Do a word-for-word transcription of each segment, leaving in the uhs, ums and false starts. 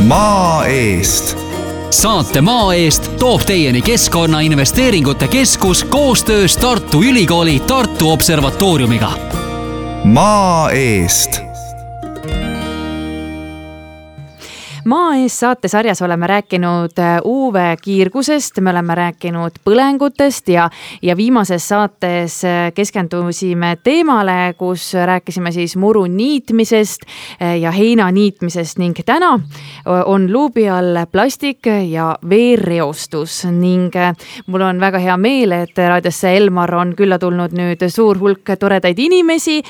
Maa eest. Saate Maa eest toob teieni Keskkonnainvesteeringute Keskus koostöös Tartu Ülikooli Tartu Observatooriumiga. Maa eest. Maa ees saatesarjas oleme rääkinud U V-kiirgusest, me oleme rääkinud põlengutest ja, ja viimases saates keskendusime teemale, kus rääkisime siis muru niitmisest ja heina niitmisest ning täna on luubi all plastik ja veereostus ning mul on väga hea meel, et raadiosse Elmar on külla tulnud nüüd suur hulk toredaid inimesi.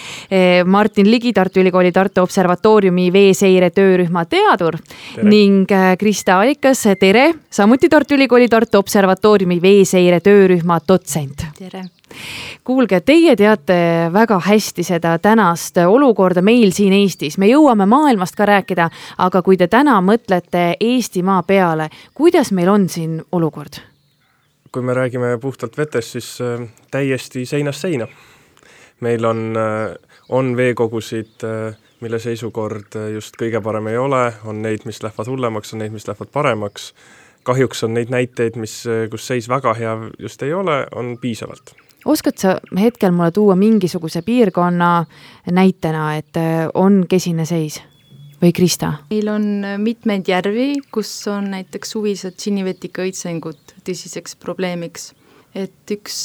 Martin Ligi, Tartu Ülikooli Tartu Observatooriumi veeseire töörühma teadur. Tere. Ning Krista Alikas, tere, samuti Tartu Ülikooli Tartu Observatooriumi veeseire töörühma dotsent. Tere. Kuulge, teie teate väga hästi seda tänast olukorda meil siin Eestis. Me jõuame maailmast ka rääkida, aga kui te täna mõtlete Eestimaa peale, kuidas meil on siin olukord? Kui me räägime puhtalt vetest, siis täiesti seinast seina. Meil on, on veekogusid, mille seisukord just kõige parem ei ole, on neid, mis lähevad hullemaks, on neid, mis lähevad paremaks. Kahjuks on neid näiteid, mis, kus seis väga hea just ei ole, on piisavalt. Oskad sa hetkel mulle tuua mingisuguse piirkonna näitena, et on kesine seis? Või Krista? Meil on mitmeid järvi, kus on näiteks suvised sinivetika õitsengud tõsiseks probleemiks. Et üks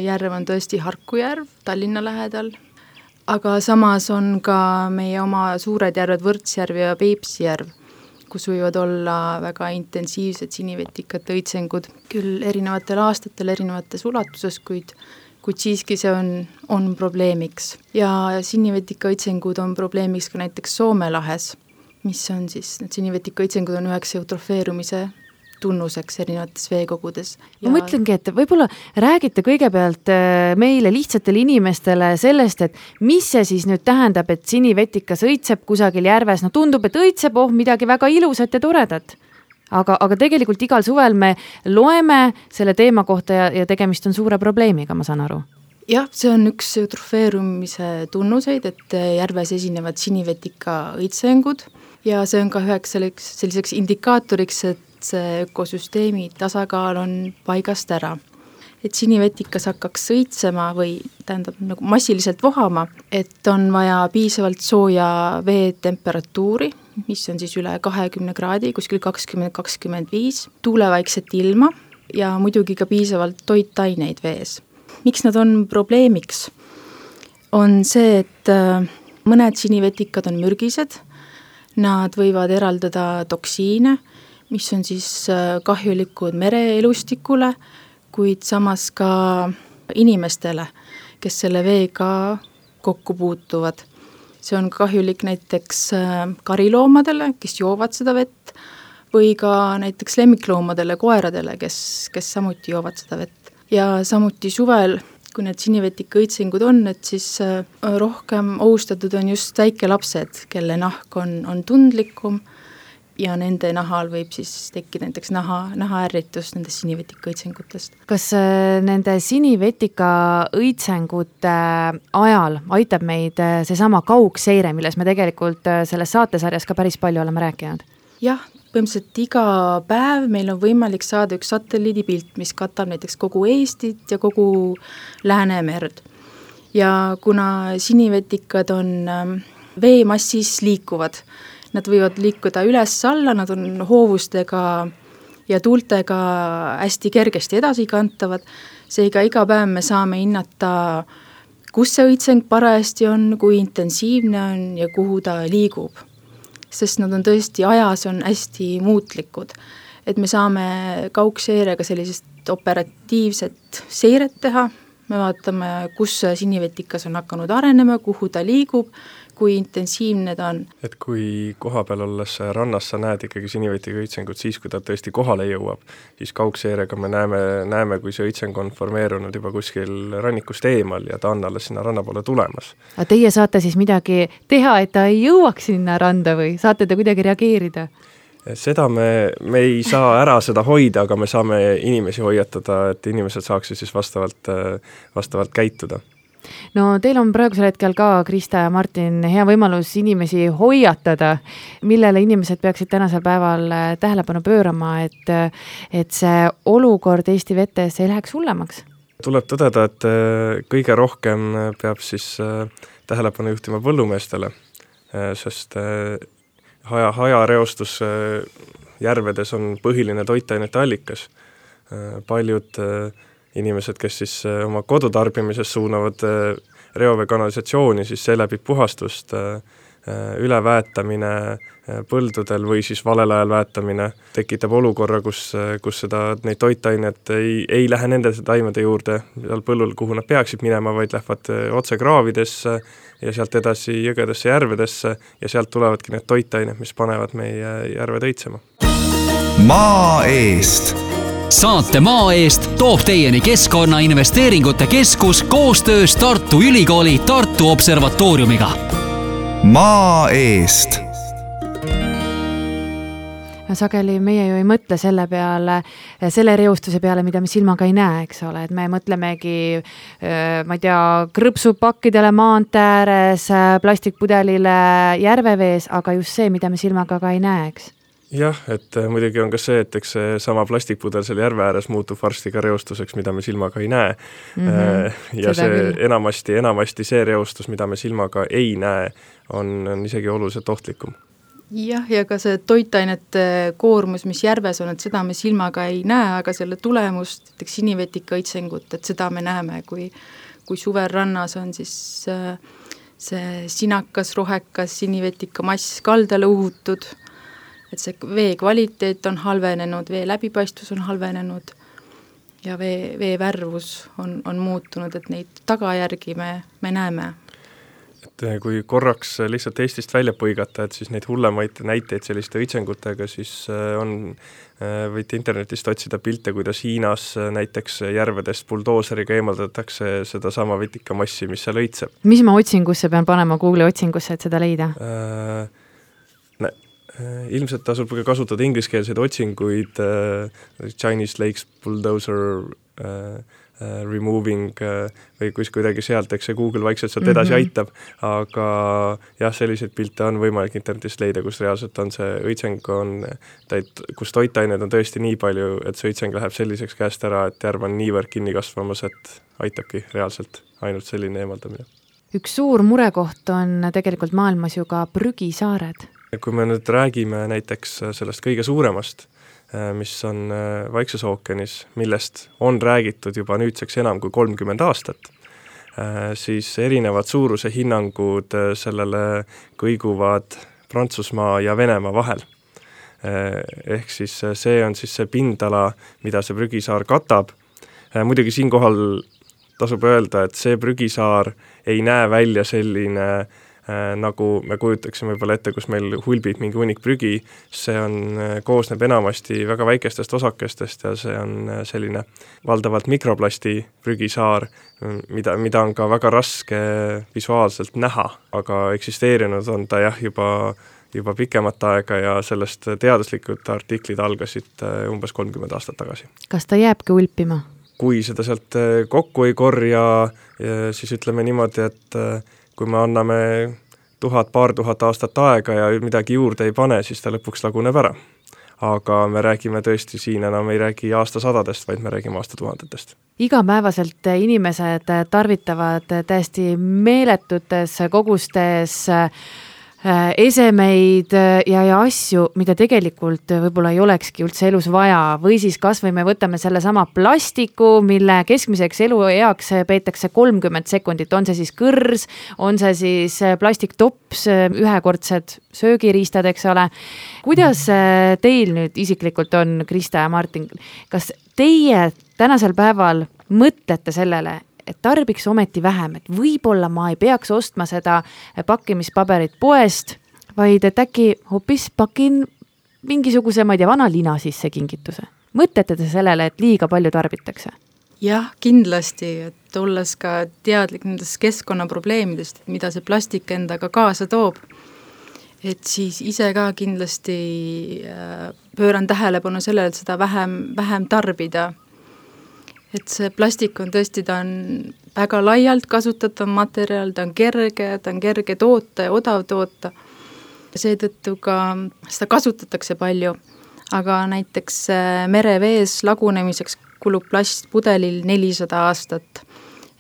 järv on tõesti Harku järv Tallinna lähedal, aga samas on ka meie oma suured järved Võrtsjärv ja Peipsi järv, kus võivad olla väga intensiivsed sinivetikate õitsengud, küll erinevatel aastatel, erinevates ulatuses, kuid, kuid siiski see on, on probleemiks. Ja sinivetika õitsengud on probleemiks ka näiteks Soome lahes, mis on siis, need sinivetika õitsengud on üheks eutrofeerumise tunnuseks erinevates veekogudes. Ja... Ma mõtlengi, et võib-olla räägite kõigepealt meile lihtsatele inimestele sellest, et mis see siis nüüd tähendab, et sinivetikas õitseb kusagil järves. No tundub, et õitseb oh midagi väga ilusat ja toredat. Aga, aga tegelikult igal suvel me loeme selle teema kohta ja, ja tegemist on suure probleemiga, ma saan aru. Jah, see on üks eutrofeerumise tunnuseid, et järves esinevad sinivetika õitsengud ja see on ka üheks selliseks indikaatoriks, et see ökosüsteemi tasakaal on paigast ära. Et sinivetikas hakkaks õitsema või tähendab nagu massiliselt vohama, et on vaja piisavalt sooja vee temperatuuri, mis on siis üle kahekümne kraadi, kuskil kakskümmend kakskümmend viis, tuulevaikset ilma ja muidugi ka piisavalt toitaineid vees. Miks nad on probleemiks? On see, et mõned sinivetikad on mürgised, nad võivad eraldada toksiine, mis on siis kahjulikud mereelustikule, kuid samas ka inimestele, kes selle veega kokku puutuvad. See on kahjulik näiteks kariloomadele, kes joovad seda vett, või ka näiteks lemmikloomadele, koeradele, kes, kes samuti joovad seda vett. Ja samuti suvel, kui need sinivetika õitsengud on, et siis rohkem ohustatud on just väikelapsed, kelle nahk on, on tundlikum, ja nende nahal võib siis tekkida näiteks naha, nahaärritus nendest sinivetika õitsengutest. Kas nende sinivetika õitsengute ajal aitab meid seesama kaugseire, milles me tegelikult selles saatesarjas ka päris palju oleme rääkinud? Jah, põhimõtteliselt iga päev meil on võimalik saada üks satelliidipilt, mis katab näiteks kogu Eestit ja kogu Läänemerd. Ja kuna sinivetikad on veemassis liikuvad, nad võivad liikuda üles-alla, nad on hoovustega ja tuultega hästi kergesti edasi kantavad. Seega iga päev me saame hinnata, kus see õitseng parajasti on, kui intensiivne on ja kuhu ta liigub. Sest nad on tõesti ajas on hästi muutlikud. Et me saame kaugseirega sellisest operatiivset seiret teha. Me vaatame, kus sinivetikas on hakanud arenema, kuhu ta liigub, kui intensiivne ta on. Et kui koha peal olles rannas sa näed ikkagi sinivetika õitsengut siis, kui ta tõesti kohale jõuab, siis kaugseirega me näeme, näeme, kui see õitseng on formeerunud juba kuskil rannikust eemal ja ta on alles sinna ranna poole tulemas. A teie saate siis midagi teha, et ta ei jõuaks sinna randa või saate te kuidagi reageerida? Seda me, me ei saa ära seda hoida, aga me saame inimesi hoiatada, et inimesed saaksid siis vastavalt, vastavalt käituda. no teil on praegusel hetkel ka, Krista ja Martin, hea võimalus inimesi hoiatada, millele inimesed peaksid tänasel päeval tähelepanu pöörama, et, et see olukord Eesti vetes ei läheks hullemaks. Tuleb tõdeda, et kõige rohkem peab siis tähelepanu juhtima põllumeestele, sest haja, hajareostus järvedes on põhiline toitainete allikas. Paljud inimesed, kes siis oma kodutarbimises suunavad reoveekanalisatsiooni, siis seeläbi puhastust, üleväetamine põldudel või siis valel ajal väetamine tekitab olukorra, kus, kus seda, neid toitainet ei, ei lähe nende taimede juurde seal põllul, kuhu nad peaksid minema, vaid lähevad otse kraavidesse ja sealt edasi jõgedesse, järvedesse ja sealt tulevadki need toitained, mis panevad meie järved õitsema. Maa eest. Saate Maa eest toob teieni Keskkonnainvesteeringute Keskus koostöös Tartu Ülikooli Tartu Observatooriumiga. Maa eest. Sageli meie ju ei mõtle selle peale, selle reostuse peale, mida me silmaga ei näe, eks ole, et me mõtlemegi, ma ei tea, krõpsupakkidele maantee ääres, plastikpudelile järvevees, aga just see, mida me silmaga ka ei näe, eks. Jah, et muidugi on ka see, et eks see sama plastikpudel seal järve ääres muutub varsti ka reostuseks, mida me silmaga ei näe. Mm-hmm. Ja see küll. enamasti, enamasti see reostus, mida me silmaga ei näe, on, on isegi oluliselt ohtlikum. Jah, ja ka see toitainete koormus, mis järves on, et seda me silmaga ei näe, aga selle tulemust, näiteks sinivetika õitsengut, et seda me näeme, kui, kui suvel rannas on siis see sinakas, rohekas sinivetika mass kaldale uhutud, et see vee kvaliteet on halvenenud, vee läbipaistvus on halvenenud ja vee, vee värvus on, on muutunud, et neid tagajärgi me, me näeme. Et kui korraks lihtsalt Eestist välja põigata, et siis neid hullemaid näiteid selliste õitsengutega, siis on, võite internetist otsida pilte, kuidas Hiinas näiteks järvedest buldooseriga eemaldatakse seda sama vetikamassi, mis seal õitseb. Mis ma otsingusse pean panema Google'i otsingusse, et seda leida? Äh, ne, ilmselt tasub kasutada ingliskeelseid otsinguid uh, Chinese Lakes Bulldozer uh, Uh, removing uh, või kus kuidagi sealt, eks see Google vaikselt sealt edasi mm-hmm. aitab, aga jah, selliseid pilte on võimalik internetist leida, kus reaalselt on see õitseng, on, täit, kus toitained on tõesti nii palju, et see õitseng läheb selliseks käest ära, et järv on niivõrd kinni kasvamas, et aitabki reaalselt ainult selline eemaldamine. Üks suur murekoht on tegelikult maailmas ju ka prügisaared. Kui me nüüd räägime näiteks sellest kõige suuremast, mis on Vaikses ookeanis, millest on räägitud juba nüüdseks enam kui kolmkümmend aastat, siis erinevad suuruse hinnangud sellele kõiguvad Prantsusmaa ja Venemaa vahel. Ehk siis see on siis see pindala, mida see prügisaar katab. Muidugi siinkohal tasub öelda, et see prügisaar ei näe välja selline nagu me kujutaksime võib-olla ette, kus meil hulbib mingi hunnik prügi, see on, koosneb enamasti väga väikestest osakestest ja see on selline valdavalt mikroplasti prügisaar, mida, mida on ka väga raske visuaalselt näha, aga eksisteerinud on ta jah juba, juba pikemat aega ja sellest teaduslikud artiklid algasid umbes kolmkümmend aastat tagasi. Kas ta jääbki hulpima? Kui seda sealt kokku ei korja, siis ütleme niimoodi, et kui me anname tuhat, paar tuhat aastat aega ja midagi juurde ei pane, siis ta lõpuks laguneb ära. Aga me räägime tõesti siin enam ei räägi aastasadadest, vaid me räägime aastatuhandetest. Igapäevaselt inimesed tarvitavad täiesti meeletutes kogustes esemeid ja, ja asju, mida tegelikult võib-olla ei olekski üldse elus vaja, või siis kas või me võtame selle sama plastiku, mille keskmiseks elueaks peetakse kolmkümmend sekundit, on see siis kõrs, on see siis plastiktops, ühekordsed söögiriistad, eks ole. Kuidas teil nüüd isiklikult on, Krista ja Martin, kas teie tänasel päeval mõtlete sellele, et tarbiks ometi vähem, et võib-olla ma ei peaks ostma seda pakkimispaberit poest, vaid et äkki hoopis pakin mingisuguse, ma ei tea, vana lina sisse kingituse. Mõtlete te sellele, et liiga palju tarbitakse? Jah, kindlasti, et olles ka teadlik nendest keskkonnaprobleemidest, mida see plastik endaga kaasa toob, et siis ise ka kindlasti pööran tähelepanu sellele, et seda vähem, vähem tarbida. et see plastik on tõesti, ta on väga laialt kasutatav materjal, ta on kerge, ta on kerge toota ja odav toota. Seetõttu ka seda kasutatakse palju, aga näiteks merevees lagunemiseks kulub plastpudelil nelisada aastat.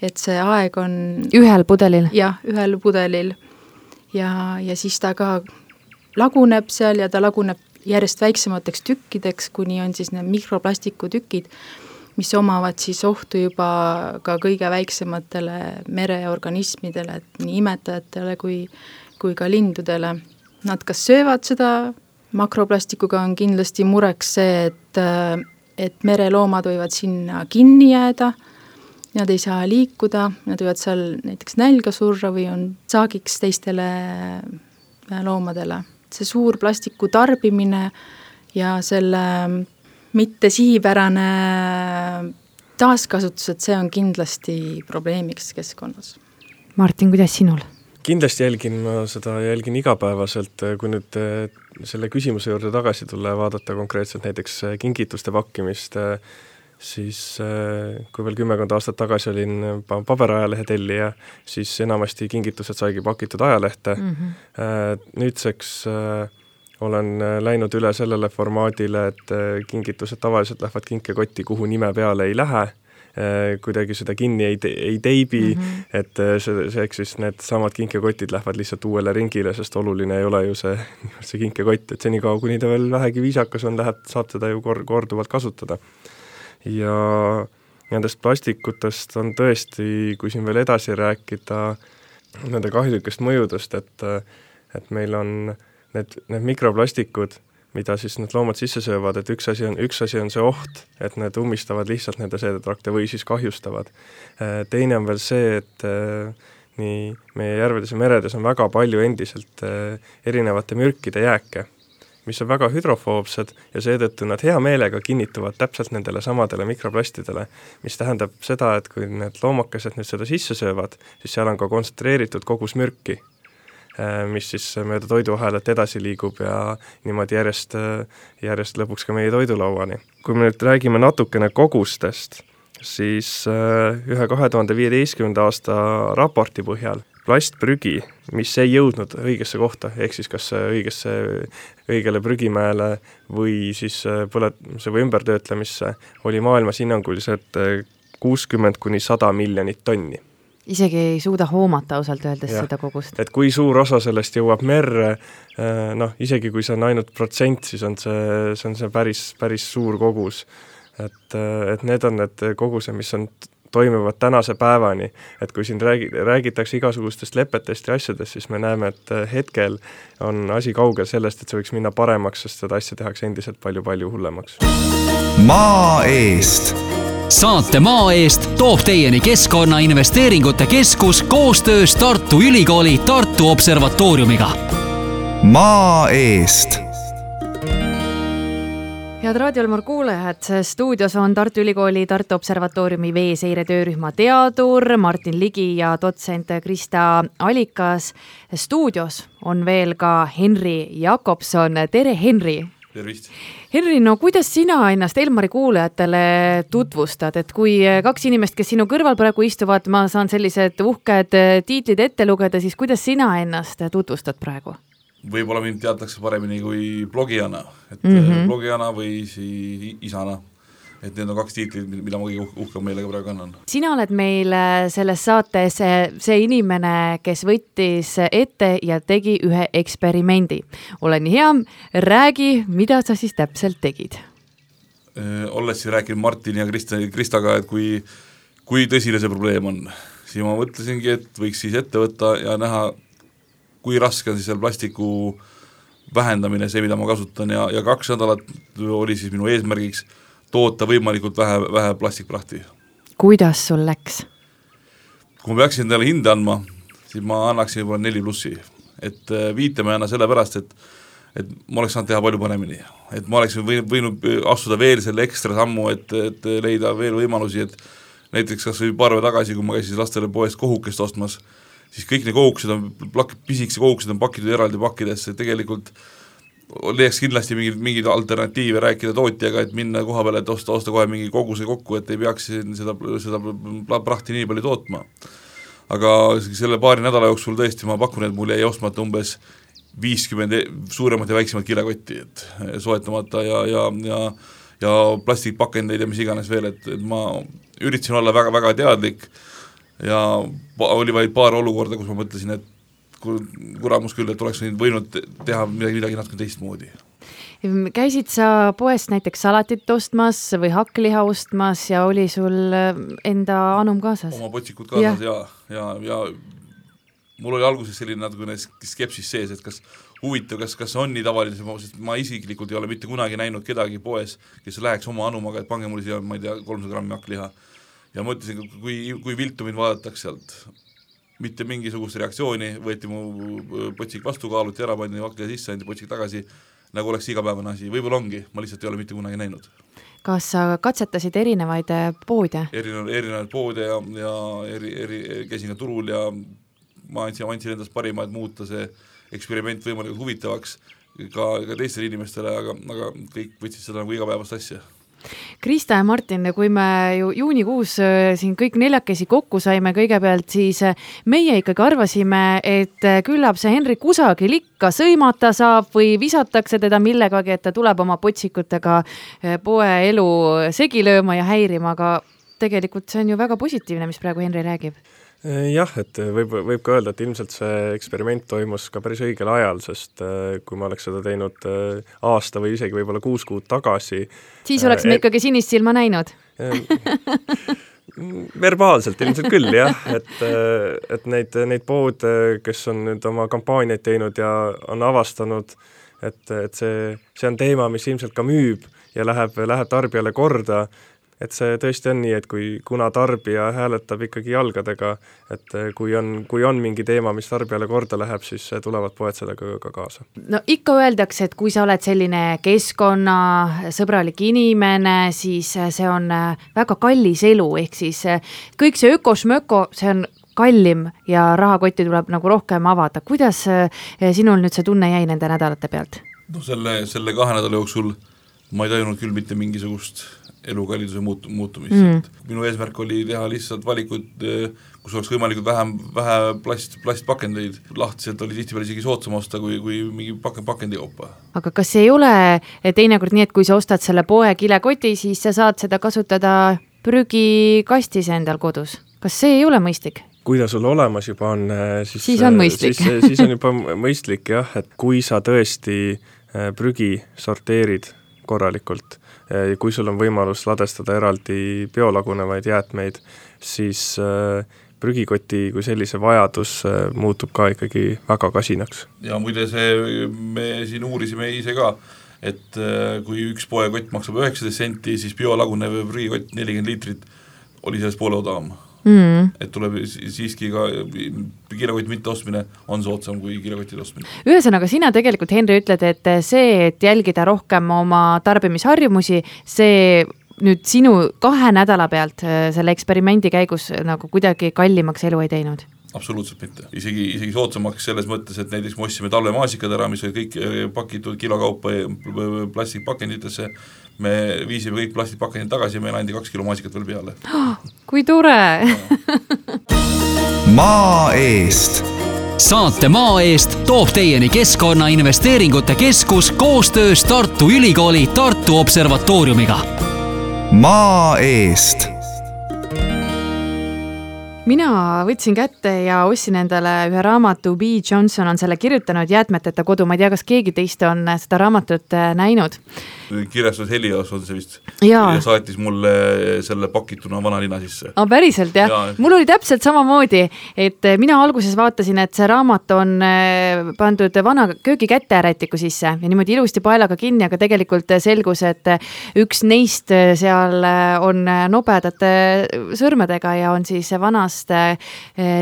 Et see aeg on... Ühel pudelil? Jah, ühel pudelil. Ja, ja siis ta ka laguneb seal ja ta laguneb järjest väiksemateks tükkideks, kuni on siis need mikroplastikutükid, mis omavad siis ohtu juba ka kõige väiksematele mereorganismidele, et nii imetajatele kui, kui ka lindudele. Nad kas söövad seda, makroplastikuga on kindlasti mureks see, et, et mereloomad võivad sinna kinni jääda, nad ei saa liikuda, nad võivad seal näiteks nälga surra või on saagiks teistele loomadele. See suur plastiku tarbimine ja selle mitte sihipärane taaskasutus, et see on kindlasti probleemiks keskkonnas. Martin, kuidas sinul? Kindlasti jälgin ma seda, jälgin igapäevaselt, kui nüüd selle küsimuse juurde tagasi tulla ja vaadata konkreetselt näiteks kingituste pakkimist, siis kui veel kümmekond aastat tagasi olin paberajalehe tellija, siis enamasti kingitused saigi pakitud ajalehte. Mm-hmm. Nüüdseks olen läinud üle sellele formaadile, et kingitused tavaliselt lähevad kinkekotti, kuhu nime peale ei lähe, kuidagi seda kinni ei, te, ei teibi, mm-hmm. et see, see, siis need samad kinkekotid lähevad lihtsalt uuele ringile, sest oluline ei ole ju see, see kinkekott, et senikaua, kuni ta veel vähegi viisakas on, läheb, saab teda ju korduvalt kasutada. Ja nendest plastikutest on tõesti, kui siin veel edasi rääkida nende kahjulikest mõjudest, et, et meil on need, need mikroplastikud, mida siis need loomad sisse söövad, et üks asi on, üks asi on see oht, et need ummistavad lihtsalt nende seedetrakte või siis kahjustavad. Teine on veel see, et nii meie järvedes ja meredes on väga palju endiselt erinevate mürkide jääke, mis on väga hüdrofoobsed ja seetõttu nad hea meelega kinnituvad täpselt nendele samadele mikroplastidele, mis tähendab seda, et kui need loomakesed nüüd seda sisse söövad, siis seal on ka kontsentreeritud kogus mürki, mis siis mööda toiduahelat edasi liigub ja niimoodi järjest, järjest lõpuks ka meie toidulauani. Kui me nüüd räägime natukene kogustest, siis ühe kahe tuhande viieteistkümnenda aasta raporti põhjal plastprügi, mis ei jõudnud õigesse kohta, ehk siis kas õigesse, õigele prügimäele või siis põletuse või ümbertöötlemisse, oli maailmas hinnanguliselt kuuskümmend kuni sada miljonit tonni. Isegi ei suuda hoomata ausalt öeldes ja, seda kogust. Et kui suur osa sellest jõuab merre, noh, isegi kui see on ainult protsent, siis on see, see on see päris, päris suur kogus. Et, et need on need kogused, mis on toimivad tänase päevani, et kui siin räägi, räägitakse igasugustest lepetest ja asjadest, siis me näeme, et hetkel on asi kaugel sellest, et see võiks minna paremaks, sest seda asja tehakse endiselt palju-palju hullemaks. Maa eest! Saate Maa eest toob teieni Keskkonnainvesteeringute Keskus koostöös Tartu Ülikooli Tartu Observatooriumiga. Maa eest! Head raadiolmur kuulajad, stuudios on Tartu Ülikooli Tartu Observatooriumi veeseire töörühma teadur Martin Ligi ja dotsent Krista Alikas. Stuudios on veel ka Henri Jakobson. Tere, Henri! Tervist! Henri, no kuidas sina ennast Elmari kuulajatele tutvustad, et kui kaks inimest, kes sinu kõrval praegu istuvad, ma saan sellised uhked tiitlid ette lugeda, siis kuidas sina ennast tutvustad praegu? Võib-olla mind teatakse paremini kui blogijana, et mm-hmm. blogijana või siis isana. Et need on kaks tiitlit, mida ma kõige uhka meelega praegu annan. Sina oled meil selles saates see inimene, kes võttis ette ja tegi ühe eksperimendi. Ole nii hea, räägi, mida sa siis täpselt tegid? Olles siis rääkinud Martin ja Krista, Kristaga, et kui, kui tõsine see probleem on, siis ma mõtlesingi, et võiks siis ette võtta ja näha, kui raske on siis seal plastiku vähendamine, see, mida ma kasutan ja, ja kaks nädalat oli siis minu eesmärgiks toota võimalikult vähe, vähe plastikprahti. Kuidas sul läks? Kui ma peaksin endale hinde andma, siis ma annaksin juba neli plussi. Et viite ma ei anna selle pärast, et, et ma oleks saanud teha palju paremini. Et ma oleksin võinud astuda veel selle ekstra sammu, et, et leida veel võimalusi, et näiteks kas või paar päeva tagasi, kui ma käisin lastele poest kohukest ostmas, siis kõik need kohukesed on, pisikese kohukesed on pakitud eraldi pakkidesse, tegelikult leiaks kindlasti mingid, mingid alternatiive, rääkida tootjaga, et minna koha peale, et osta, osta kohe mingi koguse kokku, et ei peaks seda, seda prahti nii palju tootma. Aga selle paari nädala jooksul tõesti ma pakun, et mul jäi ostmata umbes viiskümmend suuremat ja väiksemat kilekotti, et soetamata ja, ja, ja, ja plastikpakendeid ja mis iganes veel, et, et ma üritasin olla väga, väga teadlik ja oli vaid paar olukorda, kus ma mõtlesin, et kuramus küll, et oleks võinud teha midagi, midagi natuke teistmoodi. Käisid sa poest näiteks salatit ostmas või hakkliha ostmas ja oli sul enda anum kaasas? Oma potsikud kaasas ja, ja, ja, ja mul oli alguses selline natukene skepsis sees, et kas huvitav, kas, kas on nii tavaline, sest ma isiklikult ei ole mitte kunagi näinud kedagi poes, kes läheks oma anumaga, et pange mulle siia, ma ei tea, kolmsada grammi hakkliha. Ja mõtlesin, kui, kui viltu mind vaadatakse sealt, mitte mingisugust reaktsiooni, võeti mu potsik vastu, kaaluti ära, pandi hakkliha sisse, andi potsik tagasi, nagu oleks igapäevane asi. Võib-olla ongi, ma lihtsalt ei ole mitte kunagi näinud. Kas sa katsetasid erinevaid poode? Erinevaid, erinevaid poode ja, ja eri, eri, käisin ka turul ja ma andsin, andsin endast parima, et muuta see eksperiment võimalikult huvitavaks ka, ka teistele inimestele, aga, aga kõik võtsid seda nagu igapäevast asja. Krista ja Martin, kui me ju juunikuus siin kõik neljakesi kokku saime kõigepealt, siis meie ikkagi arvasime, et küllap see Henri kusagil ikka sõimata saab või visatakse teda millegagi, et ta tuleb oma potsikutega poe elu segi lööma ja häirima, aga tegelikult see on ju väga positiivne, mis praegu Henri räägib. Jah, et võib, võib ka öelda, et ilmselt see eksperiment toimus ka päris õigel ajal, sest kui ma oleks seda teinud aasta või isegi võib-olla kuus kuud tagasi. Siis oleks me et, ikkagi sinist silma näinud. Verbaalselt ilmselt küll, jah, et, et neid, neid poode, kes on nüüd oma kampaaniaid teinud ja on avastanud, et, et see, see on teema, mis ilmselt ka müüb ja läheb, läheb tarbijale korda. Et see tõesti on nii, et kui kuna tarbija hääletab ikkagi jalgadega, et kui on, kui on mingi teema, mis tarbijale korda läheb, siis tulevad poed sellega ka kaasa. No ikka öeldakse, et kui sa oled selline keskkonnasõbralik inimene, siis see on väga kallis elu, ehk siis kõik see ökosmöko, see on kallim ja rahakotti tuleb nagu rohkem avada. Kuidas sinul nüüd see tunne jäi nende nädalate pealt? No selle, selle kahe nädala jooksul ma ei tajunud küll mitte mingisugust elukalliduse muut, muutumist. Mm. Minu eesmärk oli teha lihtsalt valikud, kus oleks võimalikult vähem, vähe plast, plastpakendeid. Lahtiselt oli tihtipeale isegi soodsam osta kui, kui mingi paken, pakendi kaupa. Aga kas ei ole teinekord nii, et kui sa ostad selle poe kilekoti, siis sa saad seda kasutada prügikastis endal kodus? Kas see ei ole mõistlik? Kui ta sul olemas juba on, siis, siis on mõistlik. Siis, siis on juba mõistlik, jah, et kui sa tõesti prügi sorteerid korralikult, kui sul on võimalus ladestada eraldi biolagunevaid jäätmeid, siis prügikoti kui sellise vajadus muutub ka ikkagi väga kasinaks. Ja muide see, me siin uurisime ise ka, et kui üks poekott maksab üheksateist senti, siis biolagunev prügikott nelikümmend liitrit oli sellest poole odavam. Mm. Et tuleb siiski ka kilekott mitte ostmine on soodsam kui kilekotid ostmine. Ühesõnaga, sina tegelikult, Henri, ütled, et see, et jälgida rohkem oma tarbimisharjumusi, see nüüd sinu kahe nädala pealt selle eksperimendi käigus nagu kuidagi kallimaks elu ei teinud? Absoluutselt mitte. Isegi, isegi soodsamaks selles mõttes, et näiteks me ostsime talvemaasikad ära, mis olid kõik pakitud kilokaupa plastikpakenditesse, me viisime kõik plastikpakendid tagasi ja meil andi kaks kilo maasikat veel peale. Oh, kui tore! Maa eest. Saate Maa eest toob teieni Keskkonnainvesteeringute Keskus koostöös Tartu Ülikooli Tartu Observatooriumiga. Maa eest. Mina võtsin kätte ja ostsin endale ühe raamatu, B. Johnson on selle kirjutanud Jäätmeteta kodu, ma ei tea, kas keegi teist on seda raamatut näinud. Kirjastus Helios on see vist ja. ja saatis mulle selle pakituna vanalina sisse. Ah, päriselt, jah. Ja. Mul oli täpselt samamoodi, et mina alguses vaatasin, et see raamat on pandud vana köögikäterätiku sisse ja niimoodi ilusti paelaga kinni, aga tegelikult selgus, et üks neist seal on nobedate sõrmedega ja on siis vanast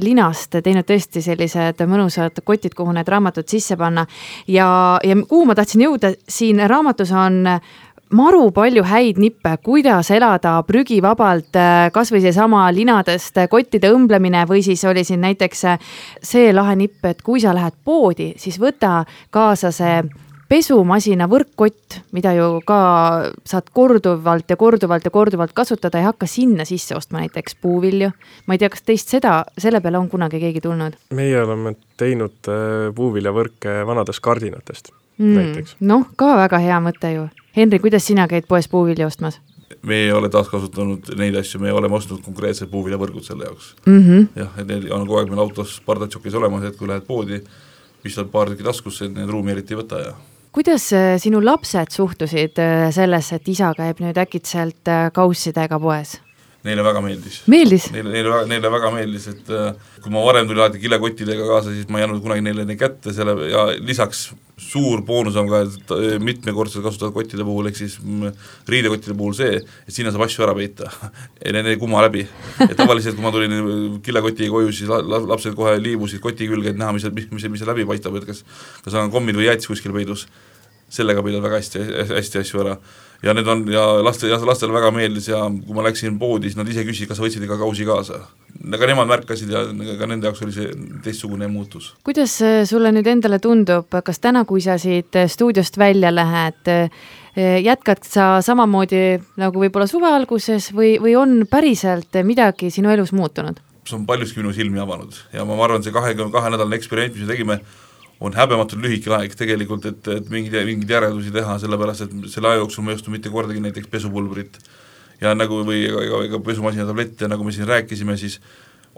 linast teinud tõesti sellised mõnusad kotid, kuhu need raamatud sisse panna. Ja, ja kuhu ma tahtsin jõuda, siin raamatus on maru palju häid nippe, kuidas elada prügivabalt, kas või see sama linadest kottide õmblemine või siis oli siin näiteks see lahe nipp, et kui sa lähed poodi, siis võta kaasa see pesumasina võrkkott, mida ju ka saad korduvalt ja korduvalt ja korduvalt kasutada, ei hakka sinna sisse ostma näiteks puuvilju. Ma ei tea, kas teist seda, selle peale on kunagi keegi tulnud? Meie oleme teinud puuviljavõrke vanadest kardinatest mm, näiteks. Noh, ka väga hea mõte ju. Henri, kuidas sina käid poes puuvilja ostmas? Me ei ole taas kasutanud neid asju, me oleme ostnud konkreetsed puuviljavõrgud selle jaoks. Mm -hmm. Jah, et need on kogu aeg meil autos pardatsokis olemas, et kui lähed poodi, pistad paar tükki taskusse, et need ruumi eriti ei võta. Ja. Kuidas sinu lapsed suhtusid sellesse, et isa käib nüüd äkitselt kaussidega poes? Neile väga meeldis. Meeldis? Neile, neile, neile väga meeldis, et kui ma varem tuli alati kilekottidega kaasa, siis ma ei jäänud kunagi neile neid kätte selle, ja lisaks suur boonus on ka mitmekordselt kasutatud kottide puhul, ehk siis riidekottide puhul see, et sinna saab asju ära peita ja need ei kumma läbi. Et tavaliselt, kui ma tulin kilekotiga koju, siis lapsed kohe liibusid koti külge, et näha, mis, mis, mis, mis läbi paistab, et kas, kas on kommid või jäätis kuskil peidus. Sellega peidad väga hästi, hästi asju ära. Ja need on, ja laste, lastele väga meeldis ja kui ma läksin poodi, siis nad ise küsisid, kas sa võtsid ikka kausi kaasa. Aga nemad märkasid ja ka nende jaoks oli see teistsugune muutus. Kuidas sulle nüüd endale tundub, kas täna, kui sa siit stuudiost välja lähed, jätkad sa samamoodi nagu võib-olla suve alguses või, või on päriselt midagi sinu elus muutunud? See on paljuski minu silmi avanud ja ma arvan, see kahekümne kahe nädalane eksperiment, mis me tegime, on häbematult lühike aeg tegelikult, et, et mingid, mingid järeldusi teha, sellepärast, et selle aja jooksul ma ei ostu mitte kordagi näiteks pesupulbrit ja nagu või ega, ega pesumasina tablette, nagu me siin rääkisime, siis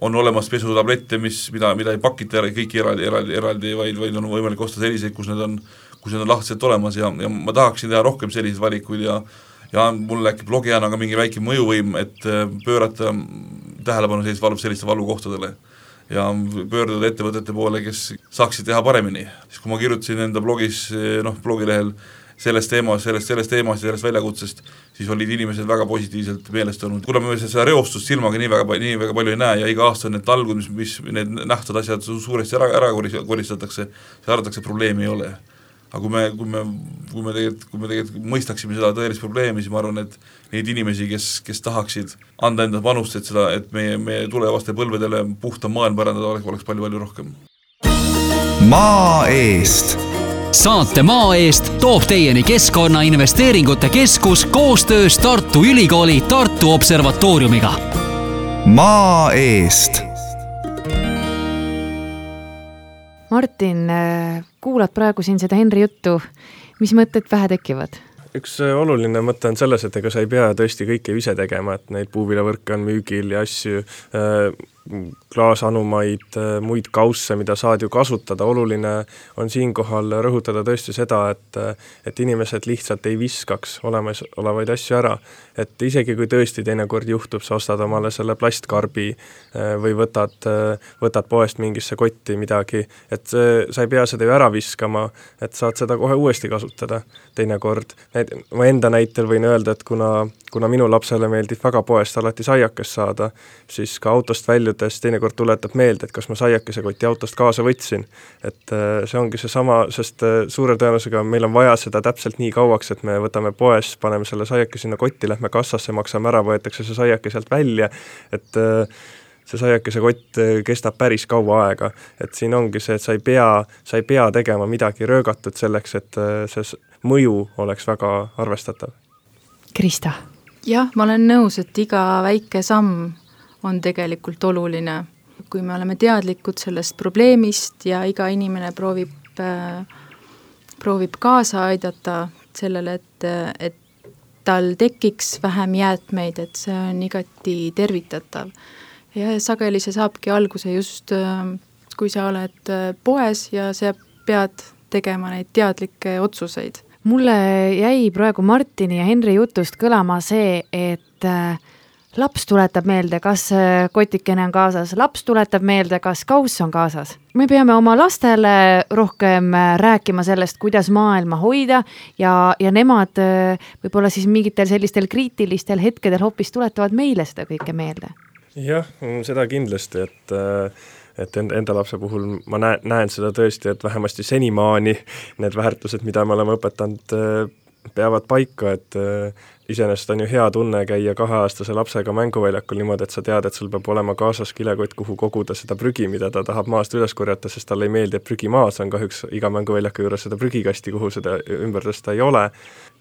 on olemas pesutablette, mis, mida, mida ei pakita kõik eraldi, eraldi, eraldi vaid, vaid on võimalik osta selliseid, kus need on, kus need on lahtiselt olemas ja, ja ma tahaksin teha rohkem selliseid valikuid ja ja mul äkki blogijana ka mingi väike mõjuvõim, et pöörata tähelepanu sellist valu, selliste valukohtadele ja pöörduda ettevõtete poole, kes saaksid teha paremini. Siis kui ma kirjutasin enda blogis, noh, blogilehel sellest teemast, sellest, sellest teemast ja sellest väljakutsest, siis olid inimesed väga positiivselt meelestanud. Kuna me seda reostust silmaga nii väga, nii väga palju ei näe ja iga aasta need talgud, mis, mis need nähtad asjad suuresti ära, ära koristatakse, see arvatakse, probleemi ei ole. Aga kui me, kui me, kui me tegelikult, kui me tegelikult mõistaksime seda tõelist probleemi, siis ma arvan, et neid inimesi, kes, kes tahaksid anda enda panust, et seda, et meie, meie tulevaste põlvedele puhta maailm pärandada oleks, oleks palju-palju rohkem. Maa eest. Saate Maa eest toob teieni Keskkonnainvesteeringute Keskus koostöös Tartu Ülikooli Tartu Observatooriumiga. Maa eest. Martin, kuulad praegu siin seda Henri juttu, mis mõtted pähe tekivad? Üks oluline mõte on selles, et ega sa ei pea tõesti kõike ise tegema, et neid puuviljavõrke on müügil ja asju, klaasanumaid, muid kausse, mida saad ju kasutada. Oluline on siinkohal rõhutada tõesti seda, et, et inimesed lihtsalt ei viskaks olemas olevaid asju ära. Et isegi kui tõesti teinekord juhtub, sa ostad omale selle plastkarbi või võtad, võtad poest mingisse kotti midagi, et sa ei pea seda ju ära viskama, et saad seda kohe uuesti kasutada teinekord. Ma enda näitel võin öelda, et kuna, kuna minu lapsele meeldib väga poest alati saiakes saada, siis ka autost väljudes teinekord tuletab meelde, et kas ma saiakese koti autost kaasa võtsin. Et see ongi see sama, sest suure tõenäosusega meil on vaja seda täpselt nii kauaks, et me võtame poes, paneme selle saiake sinna kotti, lähme kassasse, maksame ära, võetakse see saiake sealt välja, et see saiakese kott kestab päris kaua aega. Et siin ongi see, et sa ei pea, sa ei pea tegema midagi röögatut selleks, et see mõju oleks väga arvestatav. Krista? Jah, ma olen nõus, et iga väike samm on tegelikult oluline. Kui me oleme teadlikud sellest probleemist ja iga inimene proovib, äh, proovib kaasa aidata sellele, et, et tal tekiks vähem jäätmeid, et see on igati tervitatav. Ja sageli see saabki alguse just, äh, kui sa oled poes ja sa pead tegema neid teadlikke otsuseid. Mulle jäi praegu Martini ja Henri jutust kõlama see, et äh, laps tuletab meelde, kas kotikene on kaasas, laps tuletab meelde, kas kauss on kaasas. Me peame oma lastele rohkem rääkima sellest, kuidas maailma hoida ja, ja nemad võib-olla siis mingitel sellistel kriitilistel hetkedel hoopis tuletavad meile seda kõike meelde. Jah, seda kindlasti, et et enda lapse puhul ma näen, näen seda tõesti, et vähemasti senimaani need väärtused, mida me oleme õpetanud peavad paika, et iseenesest on ju hea tunne käia kaheaastase lapsega mänguväljakul niimoodi, et sa tead, et sul peab olema kaasas kilekott, kuhu koguda seda prügi, mida ta tahab maast üles korjata, sest talle ei meeldi, et prügi maas on, kahjuks iga mänguväljaku juures seda prügikasti, kuhu seda ümber tõsta ei ole.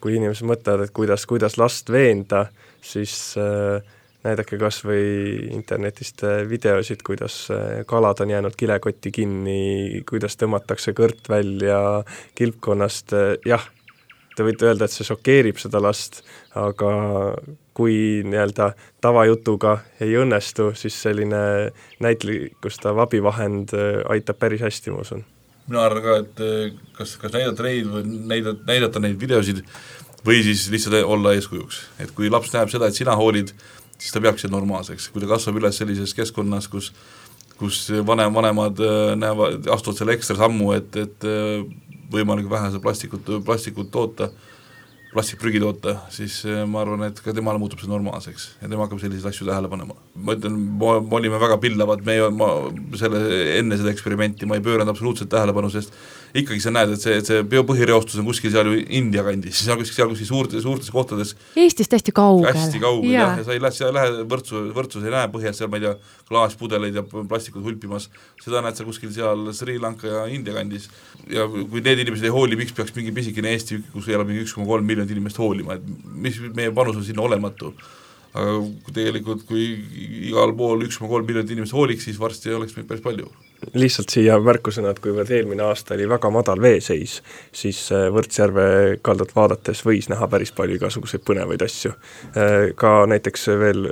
Kui inimesed mõtlevad, et kuidas, kuidas last veenda, siis äh, näidake kas või internetist videosid, kuidas kalad on jäänud kilekotti kinni, kuidas tõmmatakse kõrt välja kilpkonnast, jah, te võite öelda, et see šokeerib seda last, aga kui nii-öelda tavajutuga ei õnnestu, siis selline näitlikustav abivahend aitab päris hästi, ma usun. Mina arvan ka, et kas, kas näidata neid või näidata, näidata neid videosid või siis lihtsalt olla eeskujuks. Et kui laps näeb seda, et sina hoolid, siis ta peaks normaalseks. Kui ta kasvab üles sellises keskkonnas, kus, kus vanem, vanemad näevad, astuvad selle ekstra sammu, et, et võimalik vähese plastikut, plastikut toota, plastikprügi toota, siis ma arvan, et ka temale muutub see normaalseks ja tema hakkab selliseid asju tähele panema. Ma ütlen, me olime väga pillavad, me, ma, selle, enne seda eksperimenti ma ei pööranud absoluutselt tähelepanu, sest ikkagi sa näed, et see, et see biopõhireostus on kuskil seal ju India kandis, siis on kuskil seal kuskil suurtes, suurtes kohtades Eestist hästi kaugel. Hästi kaugel, jah, ja sa ei lähe, sa ei lähe võrdsu, võrdsus ei näe põhjas seal, ma ei tea, klaaspudeleid ja plastikud hulpimas, seda näed sa kuskil seal Sri Lanka ja India kandis ja kui need inimesed ei hooli, miks peaks mingi pisikene Eesti, kus elab mingi üks koma kolm miljonit inimest hoolima, et mis meie panus on sinna olematu. Aga tegelikult, kui igal pool üks koma kolm miljonit inimest hooliks, siis varsti oleks meid päris palju. Lihtsalt siia märkusena, et kuivõrd eelmine aasta oli väga madal veeseis, siis Võrtsjärve kaldat vaadates võis näha päris palju igasuguseid põnevaid asju. Ka näiteks veel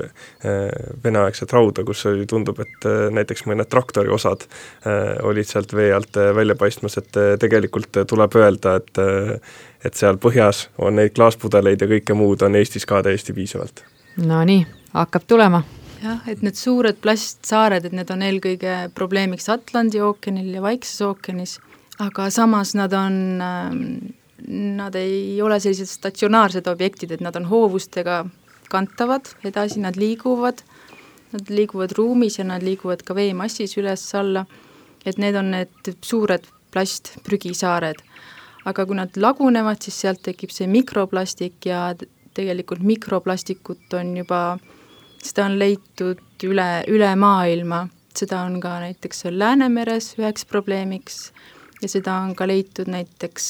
veneaegset rauda, kus tundub, et näiteks mõned traktori osad olid sealt vee alt välja paistmas, et tegelikult tuleb öelda, et, et seal põhjas on neid klaaspudeleid ja kõike muud on Eestis ka täiesti piisavalt. No nii, hakkab tulema. Jah, et need suured plastsaared, et need on eelkõige probleemiks Atlandi ookeanil ja Vaikses ookeanis, aga samas nad on, nad ei ole sellised statsionaarsed objektid, et nad on hoovustega kantavad edasi, nad liiguvad, nad liiguvad ruumis ja nad liiguvad ka veemassis üles-alla, et need on need suured plastprügisaared. Aga kui nad lagunevad, siis sealt tekib see mikroplastik ja tegelikult mikroplastikut on juba seda on leitud üle, üle maailma, seda on ka näiteks Läänemeres üheks probleemiks ja seda on ka leitud näiteks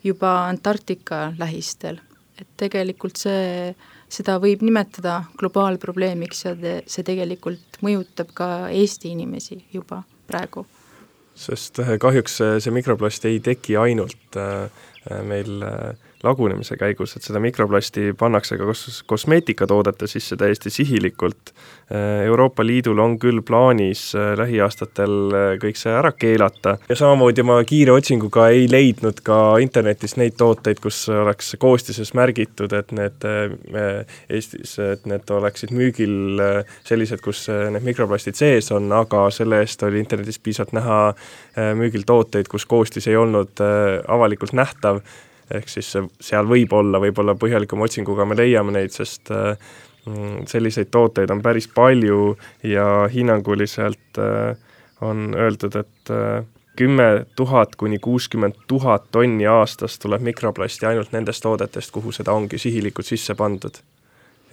juba Antarktika lähistel. Et tegelikult see, seda võib nimetada globaalprobleemiks ja te, see tegelikult mõjutab ka Eesti inimesi juba praegu. Sest kahjuks see mikroplast ei teki ainult meil lagunemise käigus, et seda mikroplasti pannakse ka kos- kosmeetikatoodete sisse täiesti sihilikult. Euroopa Liidul on küll plaanis lähiaastatel kõik see ära keelata ja samamoodi ma kiire otsinguga ei leidnud ka internetis neid tooteid, kus oleks koostises märgitud, et need Eestis, et need oleksid müügil sellised, kus need mikroplastid sees on, aga selle eest oli internetis piisavalt näha müügil tooteid, kus koostis ei olnud avalikult nähtav, ehk siis seal võib olla, võib olla põhjalikuma otsinguga me leiame neid, sest selliseid tooteid on päris palju ja hinnanguliselt on öeldud, et kümme tuhat kuni kuuskümmend tuhat tonni aastas tuleb mikroplasti ainult nendest toodetest, kuhu seda ongi sihilikult sisse pandud.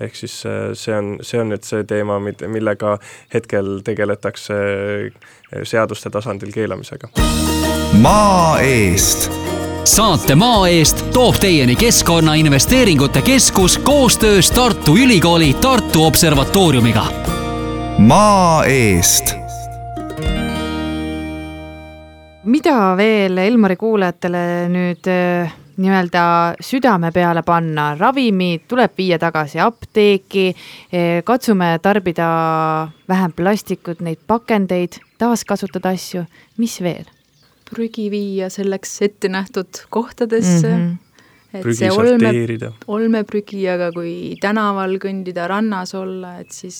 Ehk siis see on, see on nüüd see teema, millega hetkel tegeletakse seaduste tasandil keelamisega. Maa eest! Saate Maa eest toob teieni Keskkonnainvesteeringute Keskus koostöös Tartu Ülikooli Tartu Observatooriumiga. Maa eest! Mida veel Elmari kuulajatele nüüd nii-öelda südame peale panna? Ravimid tuleb viia tagasi apteeki, katsume tarbida vähem plastikut, neid pakendeid, taaskasutada asju. Mis veel? Prügi viia selleks ette nähtud kohtadesse, mm-hmm. et prügi see olme, olmeprügi, aga kui tänaval kõndida rannas olla, et siis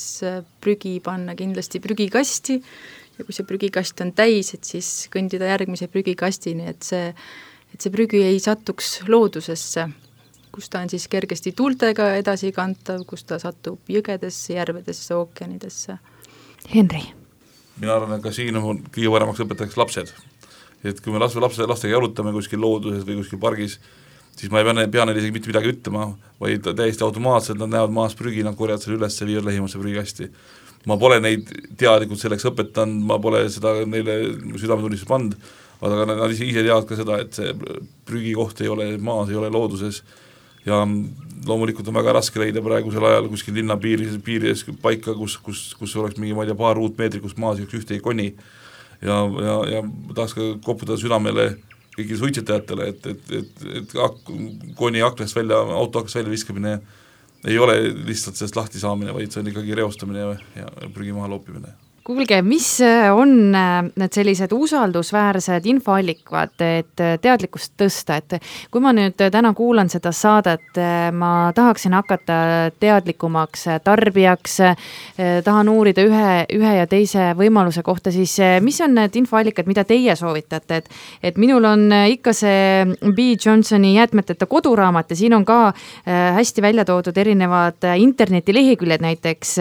prügi panna kindlasti prügikasti ja kui see prügikast on täis, et siis kõndida järgmise prügikastini, et see, et see prügi ei satuks loodusesse, kus ta on siis kergesti tuultega edasi kantav, kus ta satub jõgedesse, järvedesse, ookeanidesse. Henri. Mina arvan, et ka siin on kõige paremaks õpetajaks lapsed. Et kui me lapse, lapse, lastega jalutame kuskil looduses või kuskil pargis, siis ma ei pea, pea neile isegi mitte midagi ütlema, vaid täiesti automaatselt nad näevad maas prügi, nad korjavad selle üles ja viivad lähimasse prügikasti. Ma pole neid teadlikult selleks õpetanud, ma pole seda neile südametunnistus pannud, aga nad ise teavad ka seda, et see prügikoht ei ole maas, ei ole looduses ja loomulikult on väga raske leida praegusel ajal kuskil linna piiris, piirides paika, kus, kus, kus oleks mingi, ma ei tea, paar ruutmeetri, kus maas üks ühte ei koni ja, ja, ja tahaks ka koputada südamele kõigile suitsetajatele, et, et, et, et ak-, koni aklast välja, auto aklast välja viskamine ei ole lihtsalt sellest lahti saamine, vaid see on ikkagi reostamine ja, ja prügi maha loopimine. Kuulge, mis on need sellised usaldusväärsed infoallikad, et teadlikkust tõsta, et kui ma nüüd täna kuulan seda saadet, ma tahaksin hakata teadlikumaks tarbijaks, tahan uurida ühe, ühe ja teise võimaluse kohta, siis mis on need infoallikad, mida teie soovitate, et, et minul on ikka see B. Johnsoni jäätmeteta koduraamat ja siin on ka hästi välja toodud erinevad internetileheküljed, näiteks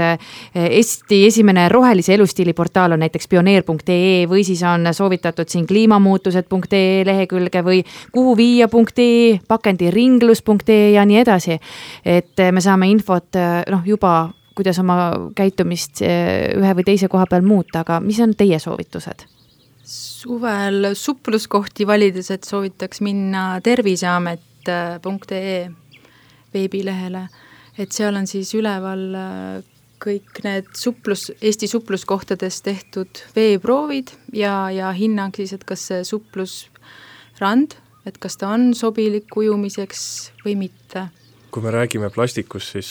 Eesti esimene rohelise elust stiiliportaal on näiteks pioneer punkt ee või siis on soovitatud siin kliimamuutused punkt ee lehekülge või kuhu viia punkt ee, pakendiringlus punkt ee ja nii edasi. Et me saame infot noh, juba, kuidas oma käitumist ühe või teise koha peal muuta, aga mis on teie soovitused? Suvel supluskohti valides, et soovitaks minna terviseamet punkt ee veebilehele, et seal on siis üleval kõik need suplus, Eesti supluskohtades tehtud veeproovid ja, ja hinnang siis, et kas see suplusrand, et kas ta on sobilik ujumiseks või mitte. Kui me räägime plastikust, siis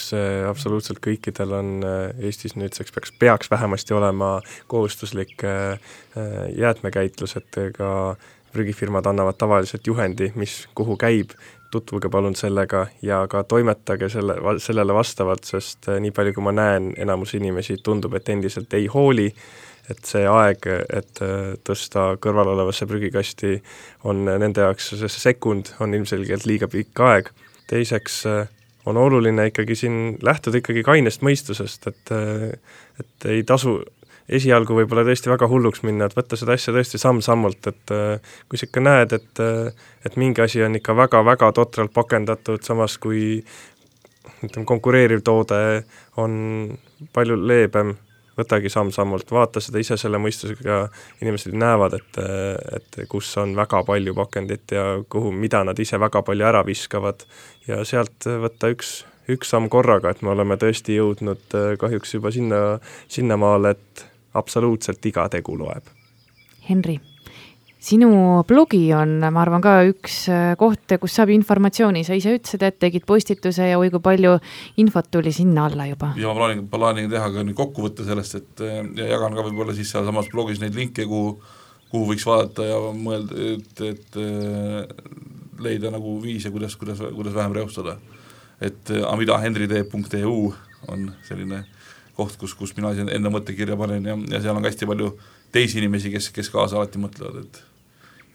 absoluutselt kõikidel on Eestis nüüdseks peaks, peaks vähemasti olema kohustuslik jäätmekäitlus, et ka prügifirmad annavad tavaliselt juhendi, mis kuhu käib, tutvuge palun sellega ja ka toimetage selle, sellele vastavalt, sest nii palju kui ma näen, enamus inimesi tundub, et endiselt ei hooli, et see aeg, et tõsta kõrval olevasse prügikasti on nende jaoks, see sekund on ilmselgelt liiga pikk aeg. Teiseks on oluline ikkagi siin lähtuda ikkagi kainest mõistusest, et, et ei tasu esialgu võib-olla tõesti väga hulluks minna, et võtta seda asja tõesti samm-sammult, et kui sa ikka näed, et, et mingi asi on ikka väga-väga totralt pakendatud, samas kui ütleme, konkureeriv toode on palju leebem, võtagi samm-sammult, vaata seda ise selle mõistusega, inimesed näevad, et, et kus on väga palju pakendit ja kuhu, mida nad ise väga palju ära viskavad ja sealt võtta üks üks samm korraga, et me oleme tõesti jõudnud kahjuks juba sinna, sinna maale, et absoluutselt iga tegu loeb. Henri, sinu blogi on, ma arvan, ka üks koht, kus saab informatsiooni. Sa ise ütlesid, et tegid postituse ja oi kui palju infot tuli sinna alla juba. Ja ma plaanin, plaanin teha ka nüüd kokkuvõtte sellest, et ja jagan ka võib-olla siis seal samas blogis neid linke, kuhu, kuhu võiks vaadata ja mõelda, et, et leida nagu viise, kuidas, kuidas, kuidas vähem reostada. Et amida henri teeb punkt e u on selline koht, kus, kus mina enda mõttekirja panen ja, ja seal on hästi palju teisi inimesi, kes, kes kaasa alati mõtlevad, et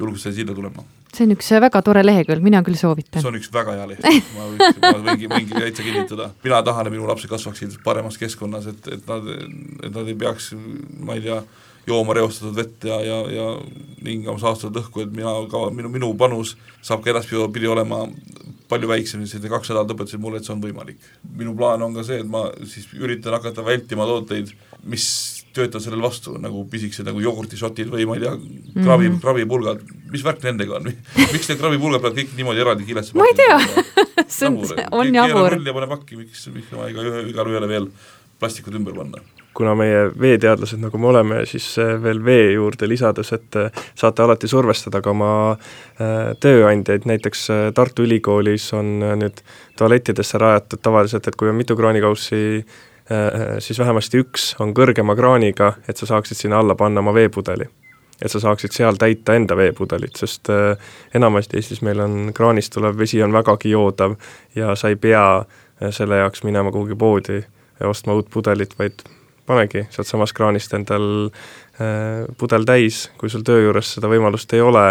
julgus selle sinna tulema. See on üks väga tore lehekülg, mina küll soovitan. See on üks väga hea lehekülg, ma, võiks, ma võingi, võingi täitsa kinnitada. Mina tahan, et minu lapsed kasvaksid paremas keskkonnas, et, et, nad, et nad ei peaks, ma ei tea, jooma reostatud vett ja, ja, ja hingama saastatud õhku, et mina, ka, minu, minu panus saab ka edaspidi olema palju väiksem, siis kaks nädalat õpetasid mulle, et see on võimalik. Minu plaan on ka see, et ma siis üritan hakata vältima tooteid, mis töötavad sellel vastu, nagu pisikesed nagu jogurtisotid või ma ei tea, krabi, mm. krabipulgad, mis värk nendega on? Miks need krabipulgad peavad kõik niimoodi eraldi kilesse? Ma ei tea, see on, on jabur. Keele pane pakki, miks, miks ma iga, igal ühele veel plastikud ümber panna. Kuna meie veeteadlased, nagu me oleme, siis veel vee juurde lisades, et saate alati survestada ka oma tööandjaid, näiteks Tartu Ülikoolis on nüüd tualettidesse rajatud tavaliselt, et kui on mitu kraanikaussi, siis vähemasti üks on kõrgema kraaniga, et sa saaksid sinna alla panna oma veepudeli. Et sa saaksid seal täita enda veepudelit, sest enamasti Eestis meil on kraanist tulev vesi on vägagi joodav ja sa ei pea selle jaoks minema kuhugi poodi ja ostma uut pudelit, vaid panegi sealt samas kraanist endal äh, pudel täis, kui sul töö juures seda võimalust ei ole,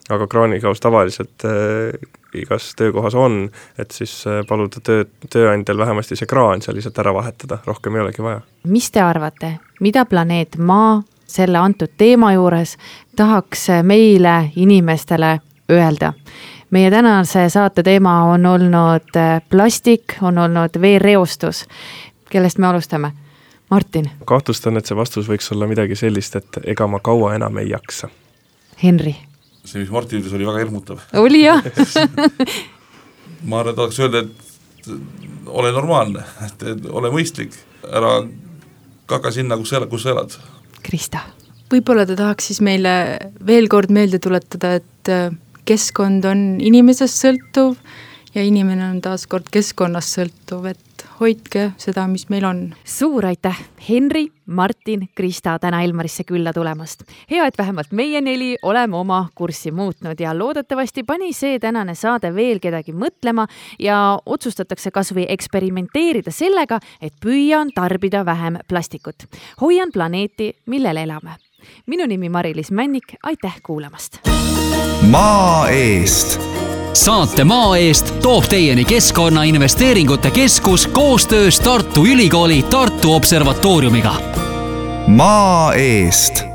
aga kraanikaus tavaliselt äh, igas töökohas on, et siis äh, paluda töö, tööandjal vähemasti see kraan seal lihtsalt ära vahetada, rohkem ei olegi vaja. Mis te arvate, mida planeet Maa selle antud teema juures tahaks meile inimestele öelda? meie tänase saate teema on olnud plastik, on olnud veereostus. Kellest me alustame? Martin. Kahtlustan, et see vastus võiks olla midagi sellist, et ega ma kaua enam ei jaksa. Henri. See, mis Martin ütles, oli väga hirmutav. Oli jah. Ma arvan, et tahaks öelda, et ole normaalne, et ole mõistlik, ära kaka sinna, kus sa elad, kus sa elad. Krista. Võib-olla ta tahaks siis meile veel kord meelde tuletada, et keskkond on inimesest sõltuv ja inimene on taas kord keskkonnast sõltuv, et hoidke seda, mis meil on. Suur aitäh, Henri, Martin, Krista täna Elmarisse külla tulemast. Hea, et vähemalt meie neli oleme oma kurssi muutnud ja loodetavasti pani see tänane saade veel kedagi mõtlema ja otsustatakse kas või eksperimenteerida sellega, et püüan tarbida vähem plastikut. Hoian planeeti, millel elame. Minu nimi Mari-Liis Männik, aitäh kuulamast. Maa eest. Saate Maa eest toob teieni Keskkonnainvesteeringute Keskus koostöös Tartu Ülikooli Tartu Observatooriumiga. Maa eest.